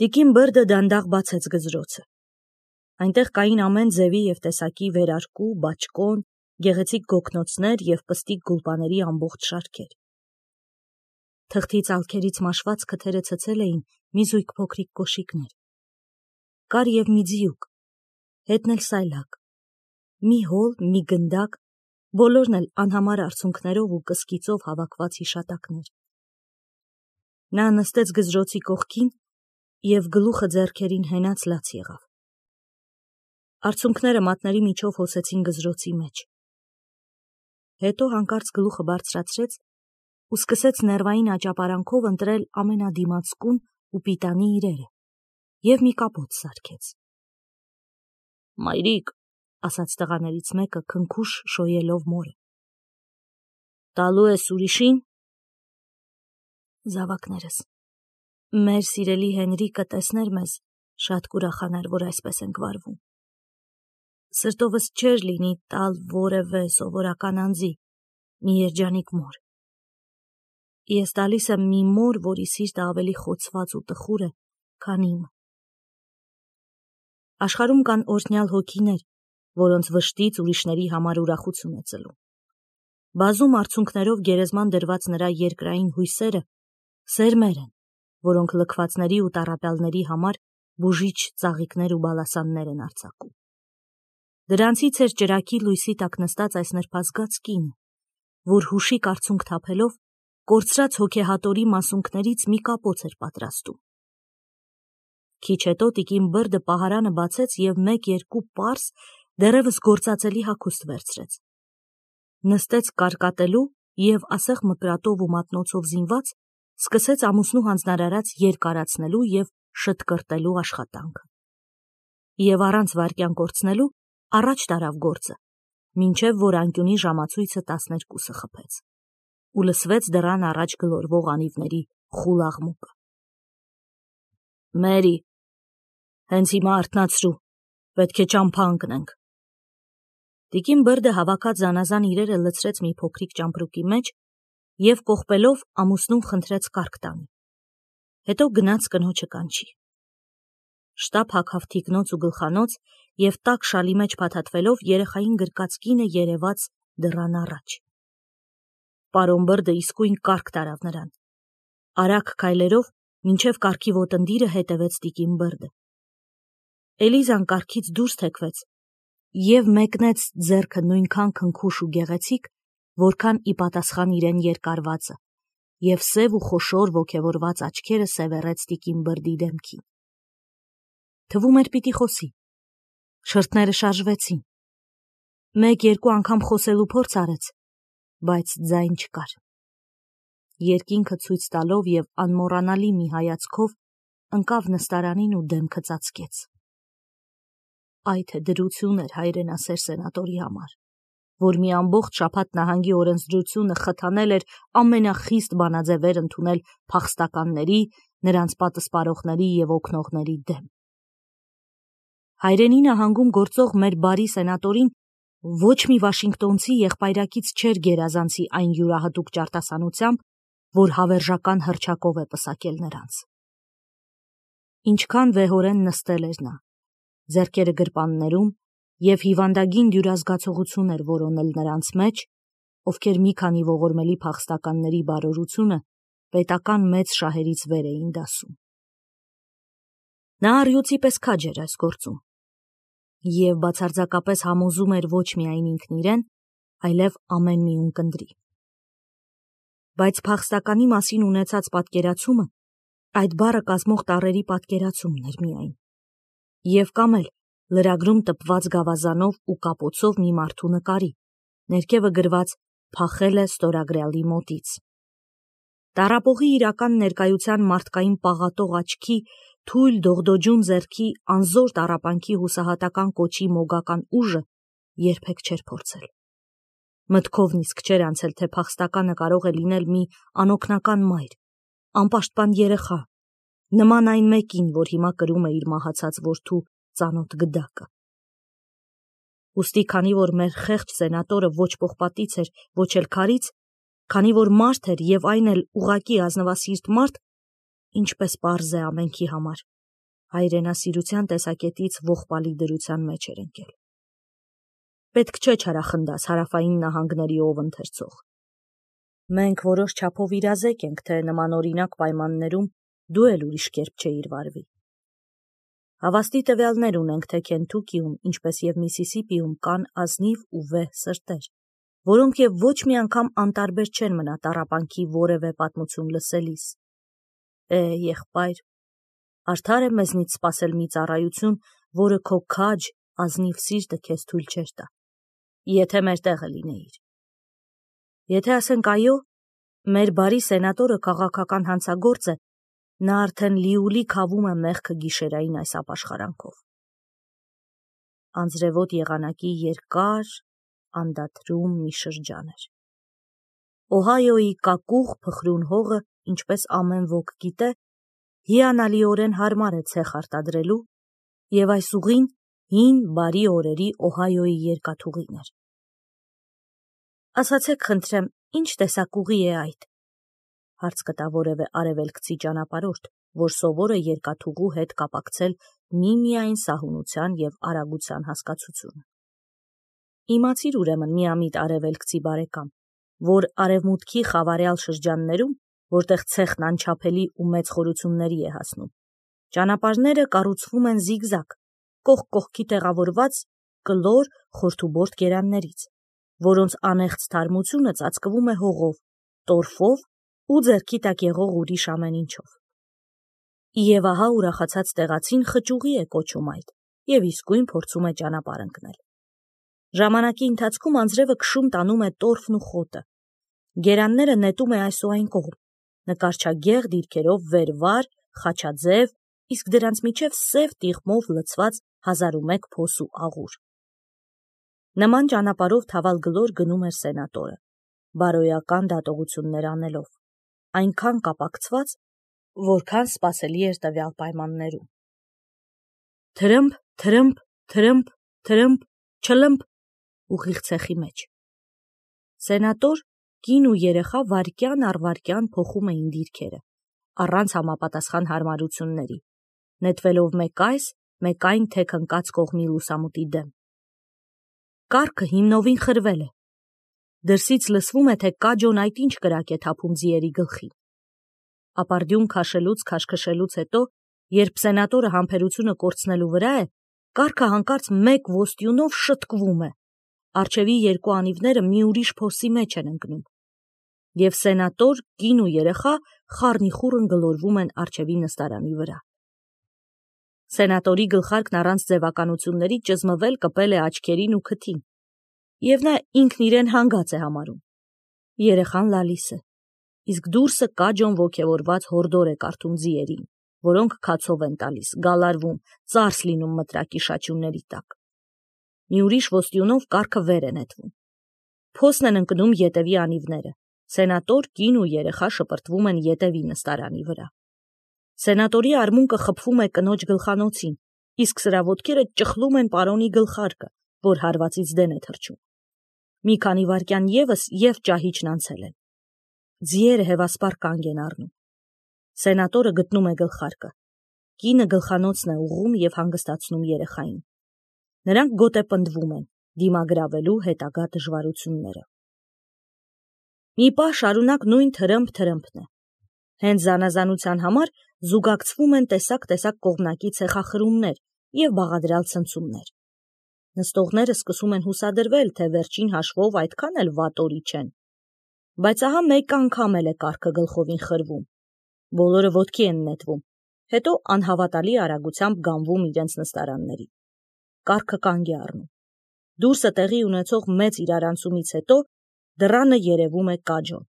Տիկին Բրդը դանդաղ բացեց գզրոցը։ Այնտեղ կային ամեն ձևի և տեսակի վերարկու, բաճկոն, գեղեցիկ գոգնոցներ և պստիկ գուլպաների ամբողջ շարքեր։ Թղթի ծալքերից մաշված քթերը ցցել էին մի զույգ փոքրիկ կոշիկներ։ Կար և մի ձիուկ, հետն էլ սայլակ, մի հոլ, մի գնդակ, բոլորն էլ անհամար արցունքներով ու կսկիծով հավաքված հիշատակներ։ Նա նստեց գզրոցի կողքին և գլուխը ձեռքերին հենած լաց եղավ։ Արցունքները մատների միջով հոսեցին գզրոցի մեջ։ Հետո հանկարծ գլուխը բարձրացրեց ու սկսեց ներվային աճապարանքով ընտրել ամենադիմացկուն ու պիտանի իրերը և մի կապոց սարքեց։ «Մայրիկ», ասաց տղաներից մեկը քնքուշ շոյելով մորը, «տալու ես ուրիշին»։ Զավակներս, մեր սիրելի Հենրիկը տեսներ մեզ, շատ կուրախանար, որ այսպես ենք վարվում։ Սրտովս չէր լինի տալ որևէ սովորական անձի մի երջանիկ մոր։ Ես տալիս եմ մի մոր, որի սիրտը ավելի խոցված ու տխուր է, քան իմը։ Աշխարհում կան օրհնյալ հոգիներ, որոնց վշտից ուրիշների համար ուրախություն է ծլում։ Բազում արցունքներով գերեզման դրված նրա երկրային հույսերը սերմեր են, որոնք լքվածների ու տառապյալների համար բուժիչ ծաղիկներ ու բալասաններ են արձակում։ Դրանցից էր ճրագի լույսի տակ նստած այս նրբազգաց կինը, որ հուշիկ արցունք թափելով կորցրած հոգեհատորի մասունքներից մի կապոց էր պատրաստում։ Քիչ հետո տիկին Բրդը պահարանը բացեց և 1-2 պարզ, դեռևս գործածելի հագուստ վերցրեց։ Նստեց կարկատելու և ասեղ մկրատով ու մատնոցով զինված սկսեց ամուսնու հանձնարարած երկարացնելու և շտկրտելու աշխատանքը։ Եվ առանց վայրկյան կորցնելու առաջ տարավ գործը, մինչև որ անկյունի ժամացույցը 12 խփեց ու լսվեց դռան առաջ գլորվող անիվների խուլ աղմուկը։ «Մերի, հենց հիմա արթնացրու, պետք է ճամփա ընկնենք»։ Տիկին Բրդը հավաքած զանազան իրերը լցրեց մի փոքրիկ ճամպրուկի մեջ և կողպելով ամուսնուն խնդրեց կարգ տանի։ Հետո գնաց կնոջը կանչի։ Շտապ հագավ թիկնոց ու գլխանոց և տաք շալի մեջ փաթաթվելով երեխային գրկած կինը երևաց դռան առաջ։ Պարոն Բրդը իսկույն կարգ տարավ նրան։ Արագ քայլերով մինչև կառքի ոտնդիրը հետևեց տիկին Բրդը։ Էլիզան կառքից դուրս թեքվեց և մեկնեց ձեռքը նույնքան քնքուշ ու գեղեցիկ, որքան ի պատասխան իրեն երկարվածը, և սև ու խոշոր ոգևորված աչքերը սևեռեց տիկին Բրդի դեմքին։ Թվում էր պիտի խոսի։ Շրթները շարժվեցին։ 1-2 անգամ խոսելու փորձ արեց, բայց ձայն չկար։ Երկինքը ցույց տալով և անմոռանալի մի հայացքով ընկավ նստարանին ու դեմքը ծածկեց։ Այ թե դրություն էր հայրենասեր սենատորի համար, որ մի ամբողջ շաբաթ նահանգի օրենսդրությունը խթանել էր ամենախիստ բանաձևեր ընդունել փախստականների, նրանց պատսպարողների և օգնողների դեմ։ Հայրենի նահանգում գործող մեր բարի սենատորին ոչ մի վաշինգտոնցի եղբայրակից չէր գերազանցի այն յուրահատուկ ճարտասանությամբ, որ հավերժական հռչակով է պսակել նրանց։ Ինչքան վեհորեն նստել էր նա, ձեռքերը գրպաններում, և հիվանդագին դյուրազգացողություն էր որոնել նրանց մեջ, ովքեր մի քանի ողորմելի փախստականների բարօրությունը պետական մեծ շահերից վեր էին դասում։ Նա առյուծի պես քաջ էր այս գործում և բացարձակապես համոզում էր ոչ միայն ինքն իրեն, այլև ամեն մի ունկնդրի։ Բայց փախստականի մասին ունեցած պատկերացումը այդ բառը կազմող տառերի պատկերացումն էր միայն, և կամ էլ լրագրում տպված գավազանով ու կապոցով մի մարդու նկարի, ներքևը գրված «Փախել է ստորագրյալի մոտից»։ Տառապողի իրական ներկայության մարդկային պաղատող աչքի, թույլ դողդոջուն ձեռքի, անզոր տառապանքի հուսահատական կոչի մոգական ուժը երբեք չէր փորձել։ Մտքով նիսկ չէր անցել, թե փախստականը կարող է լինել մի անօգնական մայր, անպաշտպան երեխա, նման այն մեկին, որ հիմա կրում է իր մահացած որդու ծանոթ գդակը։ Ուստի քանի որ մեր խեղճ սենատորը ոչ պողպատից էր, ոչ էլ քարից, քանի որ մարդ էր և այն էլ ուղղակի ազնվասիրտ մարդ, ինչպես պարզ է ամենքի համար, հայրենասիրության տեսակետից ողբալի դրության մեջ էր ընկել։ Պետք չէ չարախնդաս հարավային նահանգների ով ընթերցող։ Մենք որոշ չափով իրազեկ ենք, թե նմանօրինակ պայմաններում դու էլ ուրիշ կերպ չէիր վարվի։ Հավաստի տվյալներ ունենք, թե Քենթուքիում, ինչպես եւ Միսիսիպիում կան ազնիվ ու վեհ սրտեր, որոնք եւ ոչ մի անգամ անտարբեր չեն մնա տառապանքի որևէ պատմություն լսելիս։ Եղբայր, արդար է մեզնից սпасել մի ծառայություն, որը քո քաջ, ազնիվ սիրտը քեզ թույլ չէր տա, եթե մեր տեղը լինեիր։ Եթե ասենք այո, մեր բարի սենատորը քաղաքական հանցագործ է, նա արդեն լիուլի քավում է մեղքը գիշերային այս ապաշխարանքով։ Անձրևոտ եղանակի երկար, անդադրում մի շրջան էր։ Օհայոյի կակուղ փխրուն հողը, ինչպես ամեն ոք գիտե, հիանալիորեն հարմար է ցեխ արտադրելու, եւ այս ուղին հին բարի օրերի Օհայոյի երկաթուղին էր։ Ասացեք խնդրեմ, ինչ տեսակ ուղի է այդ, հարց կտա որևէ արևելքցի ճանապարհորդ, որ սովոր է երկաթուղու հետ կապակցել միմիայն սահունության եւ արագության հասկացությունը։ Իմացիր ուրեմն միամիտ արևելքցի բարեկամ, որ արևմուտքի խավարյալ շրջաններում, որտեղ ցեխն անչափելի ու մեծ խորությունների է հասնում, ճանապարհները կառուցվում են զիգզագ, կողք կողքի տեղավորված կլոր խորթուբորդ գերաններից, որոնց անեղծ թարմությունը ծածկվում է հողով, տորֆով ու ձեռքի տակ եղող ուրիշ ամեն ինչով։ Եվ ահա ուրախացած տեղացին խճուղի է կոչում այդ եւ իսկույն փորձում է ճանապարհ ընկնել։ Ժամանակի ընթացքում անձրևը քշում տանում է տորֆն ու խոտը։ Գերանները նետում է այս ու այն կողմ, նկարչագեղ դիրքերով վերվար, խաչաձև, իսկ դրանց միջև սև տիղմով լցված 1001 փոս ու աղուր։ Նման ճանապարհով թավալգլոր գնում էր սենատորը, բարոյական դատողություններ անելով, այնքան կապակցված, որքան սпасելի էր տվյալ պայմաններում։ Թրմփ, թրմփ, թրմփ, թրմփ, չլմփ, ուղիղ ցեխի մեջ։ Սենատոր, կին ու երեխա վայրկյան առ վայրկյան փոխում էին դիրքերը, առանց համապատասխան հարմարությունների, նետվելով մեկ այս, մեկ այն թեք ընկած կողմի լուսամուտի դեմ։ Կառքը հիմնովին խրվել է։ Դրսից լսվում է, թե կաջոն այդ ինչ կրակ է թափում ձիերի գլխին։ Ապարդյուն քաշելուց քաշքշելուց հետո, երբ սենատորը համբերությունը կորցնելու վրա է, կառքը հանկարծ մեկ ոստյունով շտկվում է, առջևի երկու անիվները մի ուրիշ փոսի մեջ են ընկնում, եւ սենատոր, կին ու երեխա խառնիխուռն գլորվում են առջևի նստարանի վրա։ Սենատորի գլխարկն առանց ձևականությունների ճզմվել կպել է աչքերին ու քթին, եւ նա ինքն իրեն հանգած է համարում։ Երեխան լալիս է, իսկ դուրսը կաջոն ոգևորված հորդոր է կարդում ձիերին, որոնք քացով են տալիս, գալարվում, ծարս լինում մտրակի շաչյունների տակ։ Մի ուրիշ ոստյունով կառքը վեր է նետվում։ Փոսն են ընկնում ետևի անիվները, սենատոր, կին ու երեխա շպրտվում են ետևի նստարանի վրա։ Սենատորի արմունկը խփվում է կնոջ գլխանոցին, իսկ սրա ոտքերը ճխլում են պարոնի գլխարկը, որ հարվածից դեն է թռչում։ Մի քանի վայրկյան եւս եւ ճահիճն անցել են։ Ձիերը հևասպար կանգ են առնում։ Սենատորը գտնում է գլխարկը։ Կինը գլխանոցն է ուղղում եւ հանգստացնում երեխային։ Նրանք գոտեպնդվում են, դիմագրավելու հետագա դժվարությունները։ Մի պահ շարունակ նույն թրմփ-թրմփն է։ Հենց զանազանության համար զուգակցվում են տեսակ կողմնակի ցեխախրումներ եւ բաղադրյալ ցնցումներ։ Նստողները սկսում են հուսադրվել, թե վերջին հաշվով այդքան էլ վատորի չեն։ Բայց ահա մեկ անգամ էլ է կառքը գլխովին խրվում։ Բոլորը ոտքի են նետվում, հետո անհավատալի արագությամբ գանվում իրենց նստարանների։ Կառքը կանգ է առնում։ Դուրսը տեղի ունեցող մեծ իրարանցումից հետո դռանը երևում է կաջոն։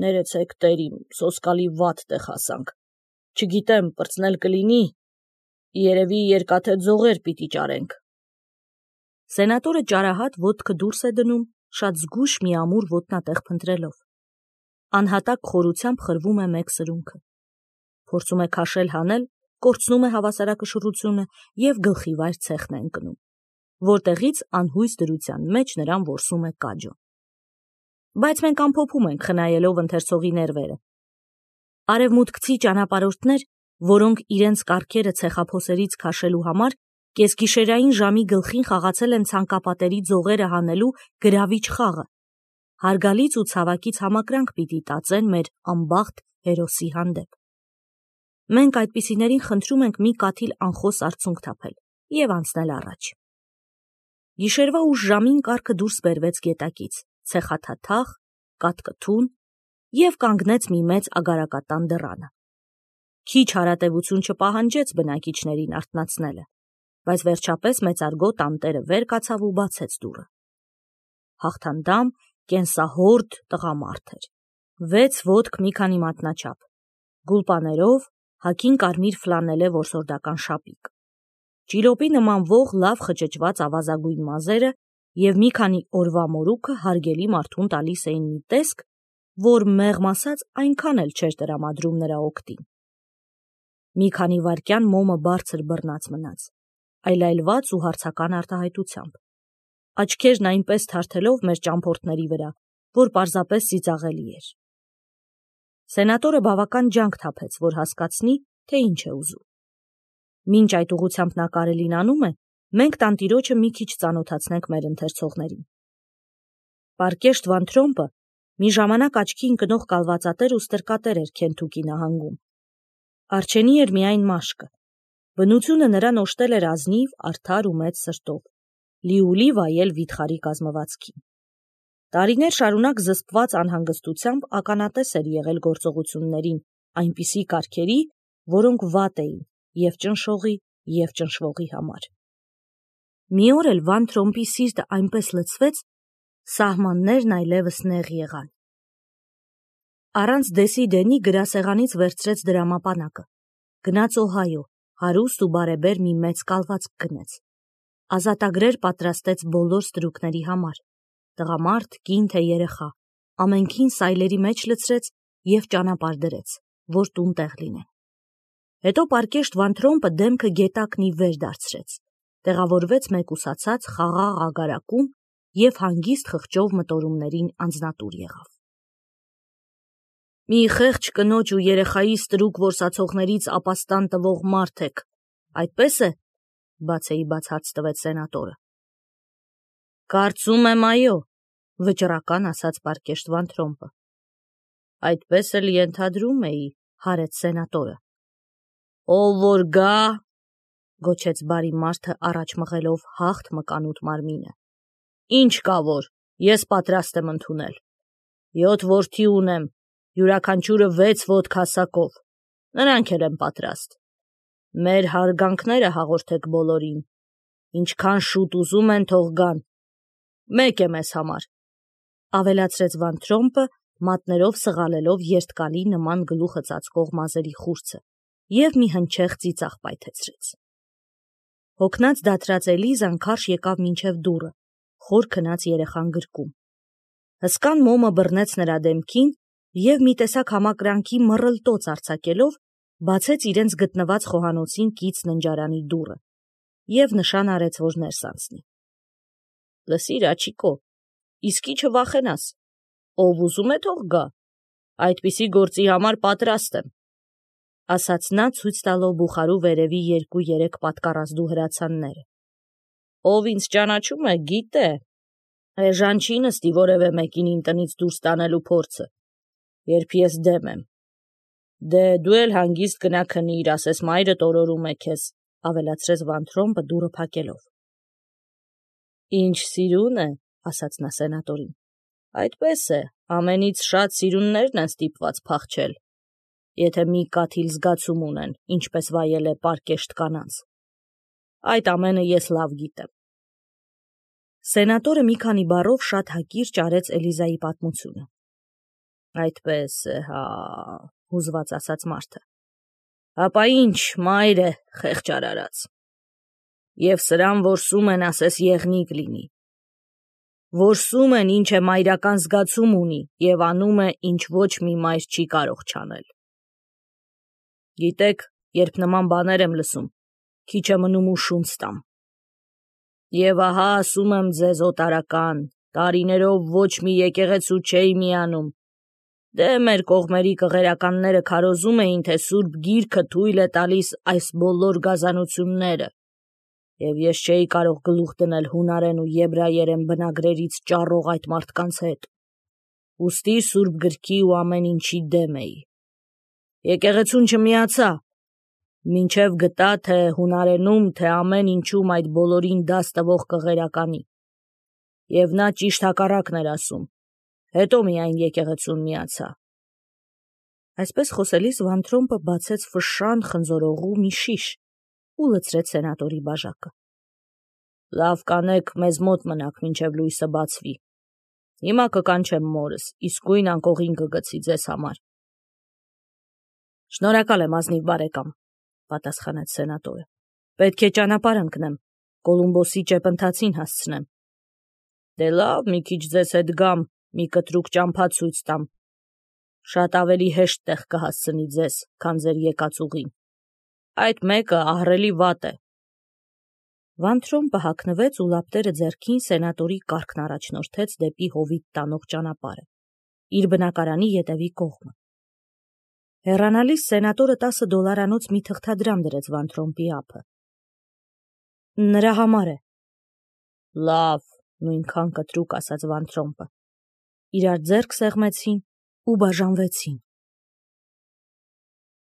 Ներեցեք տերիմ, սոսկալի վատ տեղ հասանք։ Չգիտեմ, պրծնել կլինի, երևի երկաթե ձողեր պիտի ճարենք։ Սենատորը ճարահատ ոտքը դուրս է դնում, շատ զգույշ մի ամուր ոտնատեղ փնտրելով։ Անհատակ խորությամբ խրվում է մեկ սրունքը։ Փորձում է քաշել հանել, կորցնում է հավասարակշռությունը եւ գլխիվայր ցեխն է ընկնում, որտեղից անհույս դրության մեջ նրան որսում է կաջոն։ Բայց մենք ամփոփում ենք, խնայելով ընթերցողի ներվերը։ Արևմուտքցի ճանապարհորդներ որոնք իրենց կառքերը ցեխափոսերից քաշելու համար կեսգիշերային ժամի գլխին խաղացել են ցանկապատերի ձողերը հանելու գրավիչ խաղը, հարգալից ու ցավակից համակրանք պիտի տածեն մեր անբախտ հերոսի հանդեպ։ Մենք այդպիսիներին խնդրում ենք մի կաթիլ անխոս արցունք թափել և անցնել առաջ։ Գիշերվա ուշ ժամին կառքը դուրս բերվեց գետակից, ցեխաթաթախ, կաթկթուն և կանգնեց մի մեծ ագարակատան դռանը։ Քիչ հարատևություն չպահանջեց բնակիչներին արթնացնելը, բայց վերջապես մեծարգո տանտերը վեր կացավ ու բացեց դուռը։ Հաղթանդամ, կենսահորդ տղամարդ էր, 6 ոտք մի քանի մատնաչափ, գուլպաներով, հագին կարմիր ֆլանելե որսորդական շապիկ, ճիրոպի նմանվող լավ խճճված ավազագույն մազերը և մի քանի օրվա մորուքը հարգելի մարդուն տալիս էին մի տեսք, որ մեղմ ասած այնքան էլ չէր տրամադրում նրա օգտին։ Մի քանի վայրկյան մոմը բարձր բռնած մնաց, այլայլված ու հարցական արտահայտությամբ, աչքերն այնպես թարթելով մեր ճամփորդների վրա, որ պարզապես ծիծաղելի էր։ Սենատորը բավական ջանք թափեց, որ հասկացնի, թե ինչ է ուզում։ Մինչ այդ ուղղությամբ նա կարելին անում է, մենք տանտիրոջը մի քիչ ծանոթացնենք մեր ընթերցողներին։ Պարկեշտ Վան Թրոմպը մի ժամանակ աչքի ընկնող կալվածատեր ու ստրկատեր էր Քենթուկի նահանգում։ Արջենի էր միայն մաշկը։ Բնությունը նրան օժտել էր ազնիվ, արդար ու մեծ սրտով, լիուլի վայել վիթխարի կազմվածքին։ Տարիներ շարունակ զսպված անհանգստությամբ ականատես էր եղել գործողություններին այնպիսի կարգերի, որոնք վատ էին և ճնշողի, և ճնշվողի համար։ Մի օր էլ Վան Թրոմպի սիրտը այնպես լցվեց, սահմաններն այլևս նեղ եղան։ Առանց դեսի դենի գրասեղանից վերցրեց դրամապանակը, գնաց Օհայո, հարուստ ու բարեբեր մի մեծ կալվածք գնեց։ Ազատագրեր պատրաստեց բոլոր ստրուկների համար, տղամարդ, կին թե երեխա, ամենքին սայլերի մեջ լցրեց և ճանապարհ դրեց, որ տուն տեղ լինեն։ Հետո Պարկեշտ Վան Թրոմպը դեմքը գետակն ի վեր դարձրեց, տեղավորվեց մեկուսացած խաղաղ ագարակում և հանգիստ խղճով մտորումներին անձնատուր եղավ։ Մի խեղճ կնոջ ու երեխայի ստրուկ որսացողներից ապաստան տվող մարդ եք, այդպես է, բացեիբաց հարց տվեց սենատորը։ Կարծում եմ այո, վճռական ասաց Պարկեշտ Վան Թրոմպը։ Այդպես էլ ենթադրում էի, հարեց սենատորը։ Ով որ գա, գոչեց բարի մարդը առաջ մղելով հաղթ մկանուտ մարմինը։ Ինչ կա որ, ես պատրաստ եմ ընդունել։ 7 որդի ունեմ, յուրաքանչյուրը 6 ոտք հասակով, նրանք էլ են պատրաստ։ Մեր հարգանքները հաղորդեք բոլորին, ինչքան շուտ ուզում են թող գան, մեկ է մեզ համար, ավելացրեց Վան Թրոմպը, մատներով սղալելով երթկալի նման գլուխը ծածկող մազերի խուրձը և մի հնչեղ ծիծաղ պայթեցրեց։ Հոգնած դադրած Էլիզան քարշ եկավ մինչև դուռը, խոր քնած երեխան գրկում։ Հսկան մոմը բռնեց նրա դեմքին և մի տեսակ համակրանքի մռլտոց արձակելով բացեց իրենց գտնված խոհանոցին կից ննջարանի դուռը և նշան արեց, որ ներս անցնի։ Լսիր, Աջիկո, իսկի չվախենաս, ով ուզում է թող գա, այդպիսի գործի համար պատրաստ եմ, ասաց նա ցույց տալով բուխարու վերևի 2-3 պատկառազդու հրացանները։ Ով ինձ ճանաչում է, գիտե, էժան չի նստի որևէ մեկին իմ տնից դուրս տանելու փորձը, երբ ես դեմ եմ։ Դե դու էլ հանգիստ գնա քնիր, ասես մայրդ օրորում է քեզ, ավելացրեց Վան Թրոմպը դուռը փակելով։ Ինչ սիրուն է, ասաց նա սենատորին։ Այդպես է, ամենից շատ սիրուններն են ստիպված փախչել, եթե մի կաթիլ զգացում ունեն, ինչպես վայել է պարկեշտ կանանց։ Այդ ամենը ես լավ գիտեմ։ Սենատորը մի քանի բառով շատ հակիրճ արեց Էլիզայի պատմությունը։ Այդպես է, հա, հուզված ասաց մարդը։ Հապա ինչ, մայր է, խեղճ արարած։ Եվ սրան որսում են, ասես եղնիկ լինի։ Որսում են, ինչ է մայրական զգացում ունի և անում է, ինչ ոչ մի մայր չի կարող չանել։ Գիտեք, երբ նման բաներ եմ լսում, քիչ է մնում ու շունչ տամ։ Եվ ահա ասում եմ ձեզ օտարական, տարիներով ոչ մի եկեղեցու չէի միանում, Դե մեր կողմերի կղերականները քարոզում էին, թե Սուրբ Գիրքը թույլ է տալիս այս բոլոր գազանությունները, և ես չէի կարող գլուխ դնել հունարեն ու եբրայերեն բնագրերից ճառող այդ մարդկանց հետ, ուստի Սուրբ Գրքի ու ամեն ինչի դեմ էի։ Եկեղեցուն չմիացա, մինչև գտա, թե հունարենում, թե ամեն ինչում այդ բոլորին դաս տվող կղերականի, և նա ճիշտ հակառակն էր ասում, հետո միայն եկեղեցուն միացա։ Այսպես խոսելիս Վանթրոմպը բացեց ֆշշան խնձորողու մի շիշ ու լցրեց սենատորի բաժակը։ Լավ կանեք, մեզ մոտ մնաք, մինչև լույսը բացվի։ Հիմա կկանչեմ մորս, իսկույն անկողին կգցի ձեզ համար։ Շնորհակալ եմ, ազնիվ բարեկամ, պատասխանեց սենատորը։ Պետք է ճանապարհ ընկնեմ, Կոլումբոսի ճեպընթացին հասցնեմ։ Դե լավ, մի քիչ ձեզ հետ գամ, մի կտրուկ ճամփա ցույց տամ։ Շատ ավելի հեշտ տեղ կհասցնի ձեզ, քան ձեր եկած ուղին։ Այդ մեկը ահռելի վատ է։ Վանթրոմպը հագնվեց ու լապտերը ձեռքին սենատորի կառքն առաջնորդեց դեպի հովիտ տանող ճանապարհը, իր բնակարանի ետևի կողմը։ Հեռանալիս սենատորը $10 մի թղթադրամ դրեց Վանթրոմպի ափը։ Նրա համար է։ Լավ, նույնքան կտրուկ ասաց Վանթրոմպը։ Իրար ձեռք սեղմեցին ու բաժանվեցին։